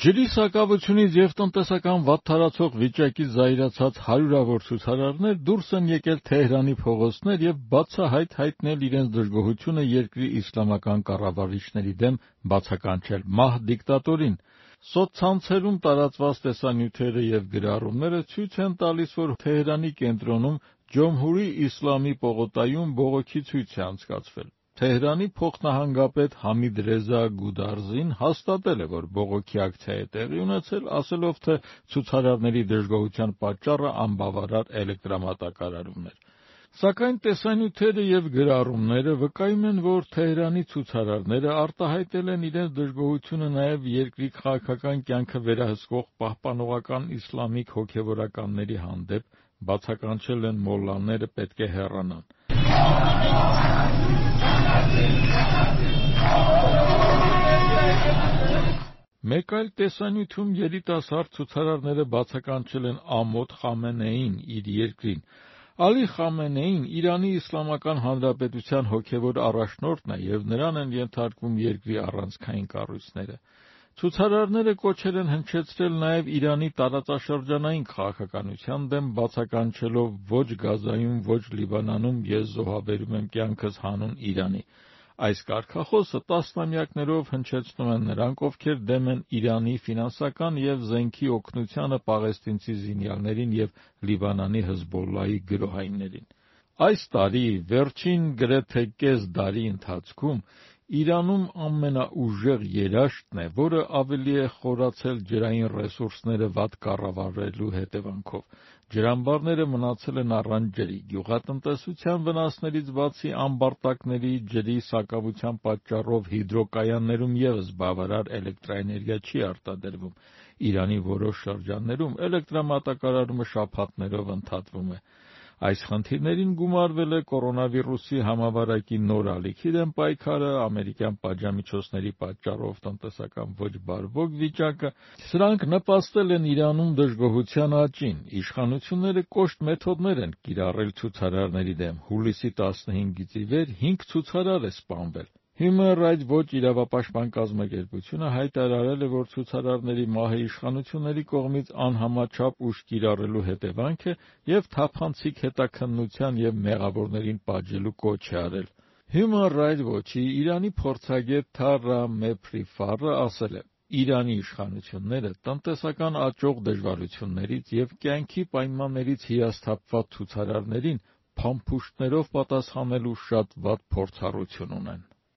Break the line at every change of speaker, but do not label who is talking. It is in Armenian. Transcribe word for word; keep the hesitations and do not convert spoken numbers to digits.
Ջրի սակավությունից և տնտեսական վատթարացող վիճակից զայրացած հարյուրավոր ցուցարարներ դուրս են եկել Թեհրանի փողոցներ և բացահայտ հայտնել իրենց դժգոհությունը երկրի իսլամական կառավարիչների դեմ բացականչել մահ դիկտատորին։ Սոցցանցերում տարածված տեսանյութերը և գրառումները ցույց են տալիս, որ Թեհրանի կենտրոնում Ջոմհուրի Իսլամի պողոտայում բողոքի ցույց է անցկացվել։ Թեհրանի փոխնահանգապետ Համիդ Ռեզա Գուդարզին հաստատել է, որ բողոքի ակցիա է տեղի ունեցել, ասելով, թե ցուցարարների դժգոհության պատճառը անբավարար էլեկտրամատակարարումն էր։ Սակայն տեսանյութերը և գրառումները վկայում են, որ Թեհրանի ցուցարարները արտահայտել են իրենց դժգոհությունը նաև երկրի քաղաքական կյանքը վերահսկող պահպանողական իսլամիկ հոգևորականների հանդեպ, բացականչել են մոլլաները պետք է հեռանան։ Մեկ այլ տեսանյութում երիտասարդ ցուցարարները բացականչել են Ամոդ Խամենեիին իր երկրին։ Ալի Խամենեին Իրանի Իսլամական Հանրապետության հոգևոր առաջնորդն է և նրան են ենթարկվում երկրի առանցքային կառույցները։ Ցուցարարները կոչել են հնչեցրել նաև Իրանի տարածաշրջանային քաղաքականության դեմ, բացականչելով ոչ Գազայում, ոչ Լիբանանում ես զոհաբերում եմ կյանքս հանուն Իրանի։ Այս կարգախոսը տասնամյակներով հնչեցնում են նրանք, ովքեր դեմ են Իրանի ֆինանսական և զենքի օգնությանը պաղեստինցի զինյալներին և Լիբանանի Հզբոլլահի գրոհայիններին։ Այս տարի վերջին գրեթե կես դարի ընթացքում Իրանում ամենաուժեղ երաշտն է, որը ավելի է խորացել ջրային ռեսուրսները վատ կառավարելու հետևանքով։ Ջրամբարները մնացել են առանց ջրի, գյուղատնտեսության վնասներից բացի ամբարտակների ջրի սակավության պատճառով հիդրոկայաններում ևս բավարար էլեկտրաէներգիա չի արտադրվում։ Իրանի որոշ շրջաններում էլեկտրամատակարարումը շաբաթներով ընդհատվում է։ Այս խնդիրներին գումարվել է կորոնավիրուսի համավարակի նոր ալիքի դեմ պայքարը, ամերիկյան պատժամիջոցների պատճառով տնտեսական ոչ բարվոք վիճակը։ Սրանք նպաստել են Իրանում դժգոհության աճին։ Իշխանությունները կոշտ մեթոդներ են կիրառել ցուցարարների դեմ։ Հուլիսի տասնհինգից ի վեր հինգ ցուցարար է սպանվել։ Human Rights Watch իրավապաշտպան կազմակերպությունը հայտարարել է, որ ցուցարարների մահը իշխանությունների կողմից անհամաչափ ուժ կիրառելու հետևանք է և թափանցիկ հետաքննության և մեղավորներին պատժելու կոչ է արել։ Human Rights Watch-ի Իրանի փորձագետ Թարա Մեփրիֆարը ասել է. «Իրանի իշխանությունները տնտեսական աճող դժվարություններից և կյանքի պայմաններից հիասթափված ցուցարարներին փամփուշտներով պատասխանելու շատ վատ փորձառություն ունեն»։